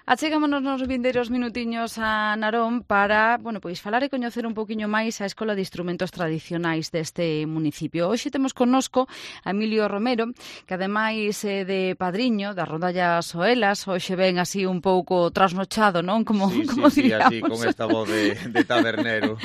Achegámonos nos vindeiros minutiños a Narón para, bueno, pois falar e coñecer un poquinho máis a Escola de Instrumentos Tradicionais deste municipio. Hoxe temos connosco a Emilio Romero, que ademais de padriño das rondallas Oelas, hoxe ven así un pouco trasnochado, non? Como Sí, diríamos. así, con esta voz de tabernero.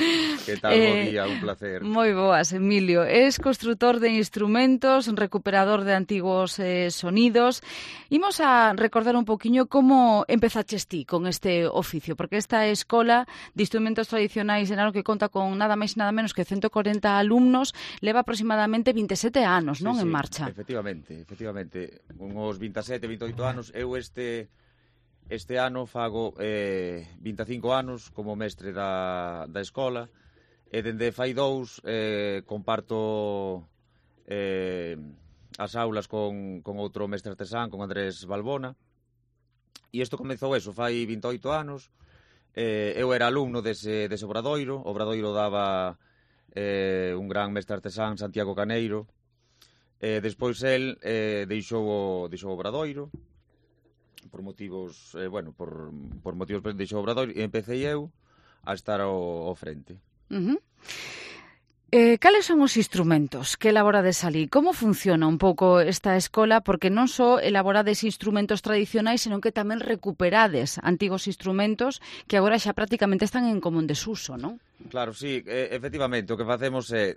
Que tal, bo día, un placer. Moi boas, Emilio. Es constructor de instrumentos, recuperador de antigos sonidos. Imos a recordar un poquinho como empezaches ti con este oficio, porque esta escola de instrumentos tradicionais de Narón, que conta con nada máis e nada menos que 140 alumnos, leva aproximadamente 27 anos, non, en marcha? Efectivamente. Uns 27, 28 anos. Eu este ano fago 25 anos como mestre da escola, e dende fai 2 comparto as aulas con outro mestre artesán, con Andrés Balbona. E isto comezou fai 28 anos. Eu era alumno dese obradoiro. O obradoiro daba un gran mestre artesán, Santiago Caneiro. Despois el deixou o obradoiro por motivos, por motivos deixou o obradoiro, e empecé eu a estar ao frente. Cales son os instrumentos que elaborades ali? Como funciona un pouco esta escola? Porque non só elaborades instrumentos tradicionais, senón que tamén recuperades antigos instrumentos que agora xa prácticamente están en común desuso, non? Claro, sí, efectivamente, o que facemos é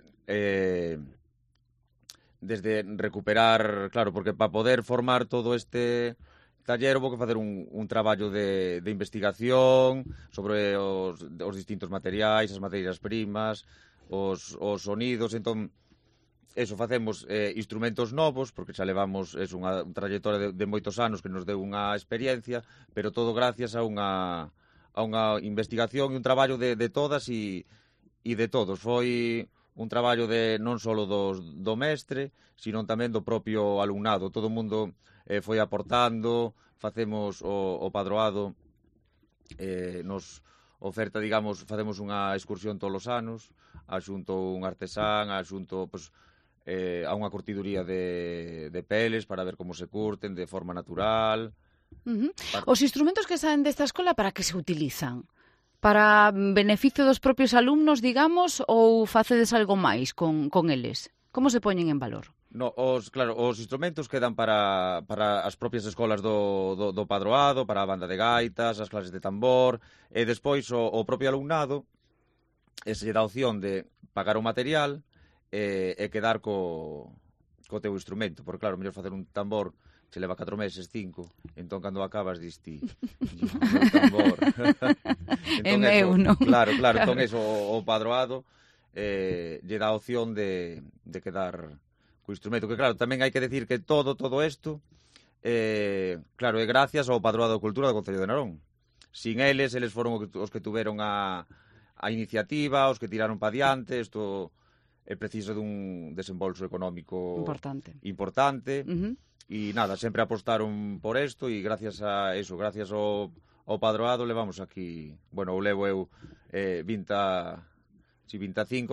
desde recuperar, claro, porque para poder formar todo este taller houve que facer un traballo de investigación sobre os distintos materiais, as materias primas, os sonidos. Entón, facemos instrumentos novos, porque xa levamos unha trayectoria de moitos anos que nos deu unha experiencia, pero todo gracias a unha investigación e un traballo de todas e de todos. Foi un traballo non só do mestre, sino tamén do propio alumnado. Todo o mundo foi aportando, facemos o padroado, nos oferta, digamos, facemos unha excursión todos os anos, axunto un artesán, axunto a unha curtiduría de peles para ver como se curten de forma natural. Os instrumentos que saen desta escola, para que se utilizan? Para beneficio dos propios alumnos, digamos, ou facedes algo máis con eles? Como se poñen en valor? No, os instrumentos quedan para as propias escolas do padroado, para a banda de gaitas, as clases de tambor, e despois o propio alumnado se lle dá a opción de pagar o material e quedar co teu instrumento, porque claro, mellor facer un tambor se leva 4 meses, 5, entón cando acabas diste o meu tambor. É meu, non? Claro, entón o padroado lle dá a opción de quedar co instrumento, que claro, tamén hai que decir que todo isto claro, é gracias ao Padroado de Cultura do Concello de Narón. Sin eles foron os que tuveron a iniciativa, os que tiraron pa diante. Isto é preciso dun desembolso económico importante. E nada, sempre apostaron por isto, e gracias a eso, gracias ao Padroado, levamos aquí, bueno, o levo eu 25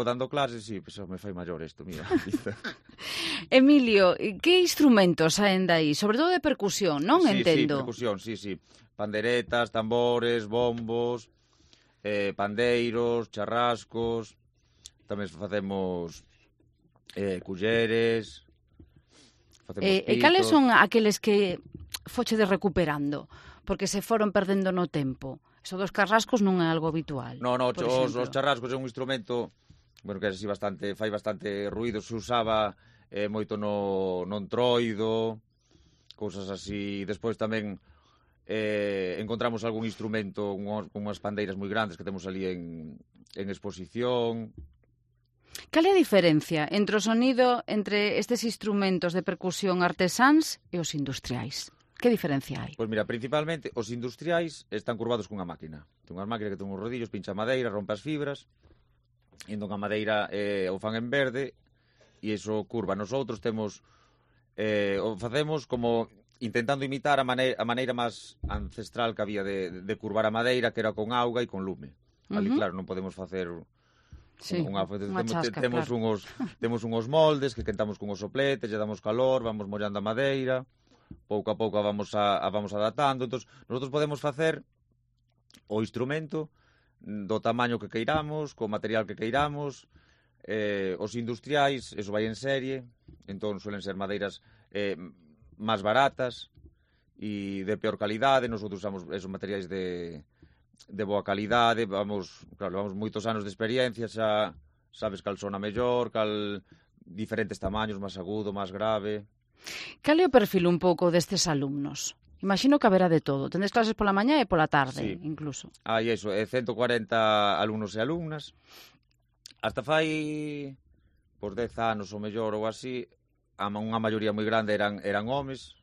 dando clases, e me fai maior isto, mira. Emilio, que instrumentos saen daí? Sobre todo de percusión, non? Entendo. Sí, percusión, sí. Panderetas, tambores, bombos, pandeiros, charrascos, tamén facemos culleres, facemos pitos. E cales son aqueles que fochedes recuperando? Porque se foron perdendo no tempo. Eso dos carrascos non é algo habitual. No, os charrascos é un instrumento, bueno, que é así fai bastante ruido, se usaba moito no entroido, cousas así. Despois tamén encontramos algún instrumento con unhas pandeiras moi grandes que temos ali en exposición. Cal é a diferencia entre o sonido entre estes instrumentos de percusión artesáns e os industriais? Que diferencia hai? Pois mira, principalmente os industriais están curvados cunha máquina. Ten unhas máquinas que ten uns rodillos, pincha madeira, rompe as fibras, e entón a madeira o fan en verde, e iso curva. Nosotros temos o facemos como intentando imitar a maneira máis ancestral que había de curvar a madeira, que era con auga e con lume. Ali, claro, non podemos facer unha chasca, claro. Temos uns moldes que quentamos con os sopletes, lle damos calor, vamos mollando a madeira. pouco a pouco a vamos adaptando. Entón, nosotros podemos facer o instrumento do tamaño que queiramos, co material que queiramos. Os industriais, eso vai en serie, entón suelen ser madeiras máis baratas e de peor calidade. Nosotros usamos esos materiais de boa calidade. Vamos moitos anos de experiencia, xa sabes cal sona mellor, cal diferentes tamaños, máis agudo, máis grave. Cal é o perfil un pouco destes alumnos? Imagino que haberá de todo. Tendes clases pola mañá e pola tarde, incluso. Hai 140 alumnos e alumnas. Hasta fai 10 anos ou mellor ou así, unha maioría moi grande eran homes,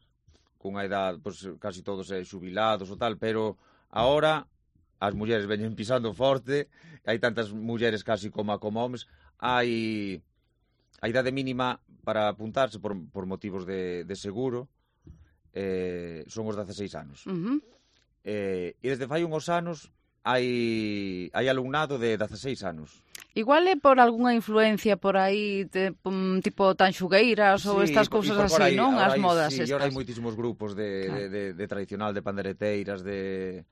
cunha edad, casi todos xubilados ou tal, pero agora as mulleres veñen pisando forte, hai tantas mulleres casi como homes. Hai a idade mínima para apuntarse por motivos de seguro, son os 16 anos. E desde fai uns anos hai alumnado de 16 anos. Igual é por algunha influencia por aí, tipo Tanxugueiras ou estas cousas así, non? As modas estas. Sí, agora hai moitísimos grupos de tradicional, de pandereteiras, e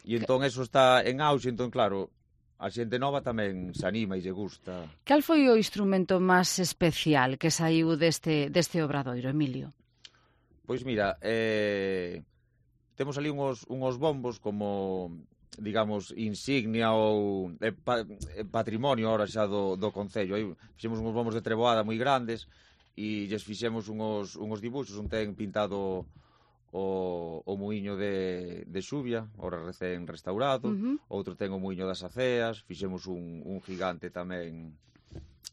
entón eso está en auxe, entón claro, a xente nova tamén se anima e lle gusta. Cal foi o instrumento máis especial que saiu deste obradoiro, Emilio? Pois mira, temos ali uns bombos como, digamos, insignia ou patrimonio ahora xa do Concello. Aí fixemos uns bombos de treboada moi grandes e lles fixemos uns dibuxos. Un ten pintado o muiño de Xuvia, ahora recén restaurado, outro ten o muiño das Aceas, fixemos un gigante tamén.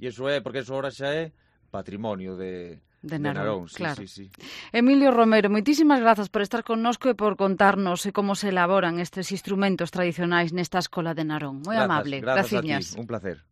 E iso porque iso ahora xa é patrimonio de Narón. Claro. Sí. Emilio Romero, moitísimas grazas por estar connosco e por contarnos como se elaboran estes instrumentos tradicionais nesta escola de Narón. Moi amable. Grazas a ti, un placer.